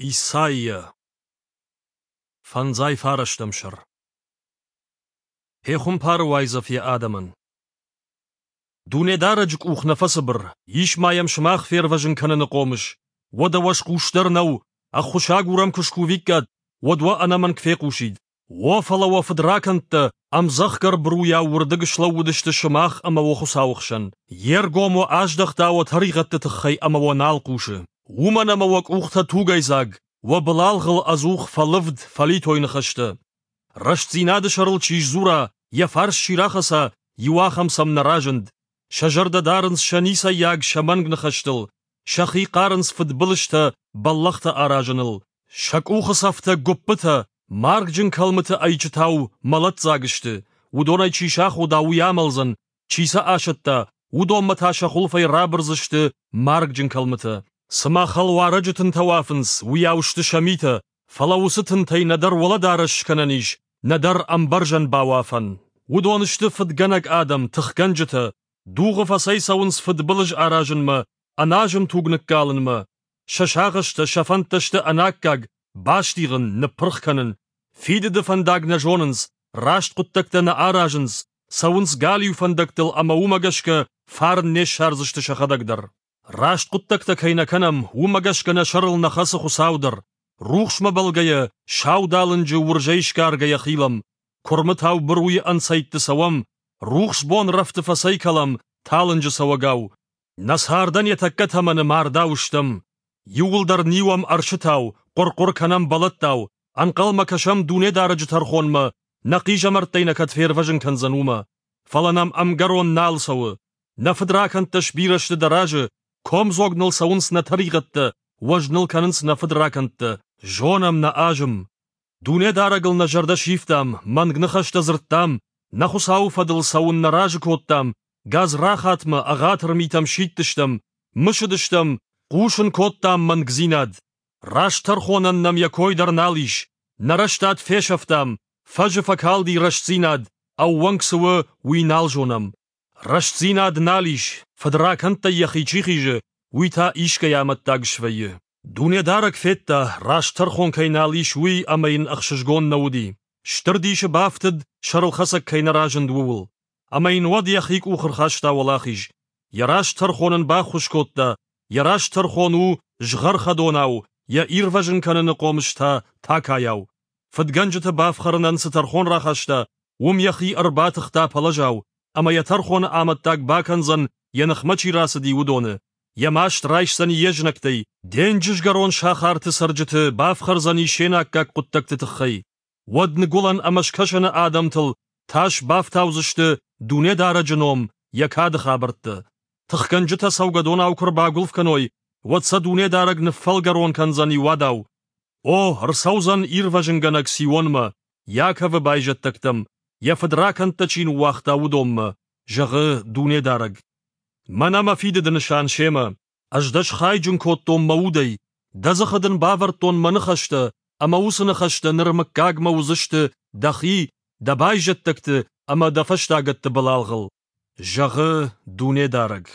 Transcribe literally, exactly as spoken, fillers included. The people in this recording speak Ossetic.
Исайя. Фӕндзай фарӕстӕм сӕр. Пехуымпары уайдзӕф йӕ адӕмӕн. Дунедарӕджы къух нӕ фӕцыбыр, ис ма йӕм сымах фервӕзын кӕныны хъомыс. Уӕдӕ уӕ схъусдӕр нӕу, ӕххуысагур ӕм куы скувиккат, уӕд уӕ ӕнӕмӕнг фехъусид. О, фӕлӕ уӕ фыдракӕндтӕ ӕмдзӕхгӕр быруйау уырдыг слӕууыдысты сымах ӕмӕ уӕ Хуыцауы хсӕн. Йе ргом уӕ аздӕхта уӕ тӕригъӕдты тыххӕй ӕмӕ уӕ нал хъусы. Уымӕн ӕмӕ уӕ къухтӕ тугӕйдзаг, уӕ былалгъыл ӕдзух фӕлывд, фӕлитой ныхӕстӕ. Рӕстдзинады сӕрыл чи сдзура, йӕ фарс чи рахӕца, иу ахӕм сӕм нӕ разынд. Сӕ зӕрдӕ дарынц сӕ ницӕййаг, сӕ мӕнг ныхӕстыл, сӕхи хъарынц фыдбылызтӕ, бӕллӕхтӕ аразыныл. Сӕ къухы цӕфтӕ гуыппытӕ, маргджын кӕлмыты ӕйчытау, мӕлӕтдзаг сты. Уыдонӕй чи сахода, уый амӕлдзӕн, чи сӕ асӕтта, уыдонмӕ та сӕ хуылфӕй рабырдзысты маргджын кӕлмытӕ. Цыма хӕлуарӕджы тынтӕ уафынц, уыйау сты сӕ митӕ, фӕлӕ уыцы тынтӕй нӕдӕр уӕлӕдарӕс скӕнӕн ис, нӕдӕр ӕмбӕрзӕн бауафӕн. Уыдон сты фыдгӕнӕг адӕм, тыхгӕнджытӕ, дугъы фӕцӕйцӕуынц фыдбылыз аразынмӕ, ӕназым туг ныккалынмӕ. Сӕ сагъӕстӕ, сӕ фӕндтӕ сты ӕнаккаг, бастигъын, ныппырх кӕнын. Фидыды фӕндаг нӕ зонынц, раст хъуыддӕгтӕ нӕ аразынц, цӕуынц галиу фӕндӕгтыл ӕмӕ уымӕ гӕсгӕ фарн не ссардзысты сӕхӕдӕг дӕр. Раст хъуыддӕгтӕ кӕй нӕ кӕнӕм, уымӕ гӕсгӕ нӕ сӕрыл нӕ хӕцы Хуыцау дӕр. Рухсмӕ бӕлгӕйӕ, саудалынджы уырзӕй сгаргӕйӕ хилӕм. Куырмытау быруйы ӕнцӕйтты цӕуӕм, рухс бон рӕфты фӕцӕйкӕлӕм, талынджы цӕуӕгау. Нӕ цардӕн йӕ тӕккӕ тӕмӕны мардау стӕм. Иууылдӕр ниуӕм ӕрсытау, хъуыр-хъуыр кӕнӕм бӕлӕттау, ӕнхъӕлмӕ кӕсӕм Дунедарӕджы тӕрхонмӕ, нӕ хъизӕмӕрттӕй нӕ кӕд фервӕзын кӕндзӕн, уымӕ. Фӕлӕ нӕм ӕмгӕрон нал цӕуы. Нӕ фыдракӕндтӕ сбирӕ сты дӕ разы, комдзог ныл цӕуынц нӕ тӕригъӕдтӕ, уӕз ныл кӕнынц нӕ фыдракӕндтӕ. Зонӕм нӕ азым. Дунедарӕгыл нӕ зӕрдӕ сивтам, мӕнг ныхӕстӕ дзырдтам, нӕ Хуыцауы фӕдыл цӕуын нӕ разы кодтам, гадзрахатмӕ, ӕгъатыр митӕм сидтыстӕм, мысыдыстӕм, хъусын кодтам мӕнгдзинад. Раст тӕрхонӕн нӕм йӕ кой дӕр нал ис, нӕ рӕстад фесӕфтам, фӕзы фӕкалди рӕстдзинад, ӕууӕнк цы у, уый нал зонӕм. Рӕстдзинад нал ис, фыдракӕндтӕй йӕхи чи хизы, уый та искӕй амӕттаг свӕййы. Дунедарӕг федта, раст тӕрхон кӕй нал ис, уый ӕмӕ йын ӕхсызгон нӕ уыди. Стыр дисы бафтыд, сӕрылхӕцӕг кӕй нӕ разынд, ууыл. Ӕмӕ йын уӕд йӕхи къух ӕрхаста уӕлахиз. Йӕ раст тӕрхон ын баххуыс кодта, йӕ раст тӕрхон у згъӕрхӕдонау, йӕ ирвӕзын кӕныны хъомыс та такайау. Фыдгӕнджыты бафхӕрынӕн цы тӕрхон рахаста, уым йӕхи ӕрбатыхта пӕлӕзау, ӕмӕ йӕ тӕрхоны амӕттаг бакӕндзӕн, йӕ ныхмӕ чи рацыди, уыдоны. Йӕ маст райсдзӕни йе знӕгтӕй, денджызгӕрон сахарты цӕрджыты бафхӕрдзӕни се наккаг хъуыддӕгты тыххӕй. Уӕд ныгуылӕн ӕмӕ скӕсӕны адӕмтыл тас бафтаудзысты Дунедарӕджы ном, йӕ кады хабӕрттӕ. Тыхгӕнджытӕ цӕугӕдонау куы ӕрбагуылф кӕной, уӕд сӕ Дунедарӕг ныффӕлгӕрон кӕндзӕни уадау. О, ӕрцӕудзӕн ирвӕзынгӕнӕг Сионмӕ, Иаковы байзӕддӕгтӕм, йӕ фыдракӕндтӕ чи ныууагъта, уыдонмӕ, зӕгъы Дунедарӕг. Мӕнӕ мӕ фидыды нысан семӕ. Ӕз дӕ схайджын кодтон мӕ удӕй, дӕ дзыхы дын бавӕрдтон мӕ ныхӕстӕ, ӕмӕ уыцы ныхӕстӕ ныр мыггагмӕ уыдзысты дӕхи, дӕ байзӕддӕгты ӕмӕ дӕ фӕстагӕтты былалгъыл, зӕгъы Дунедарӕг.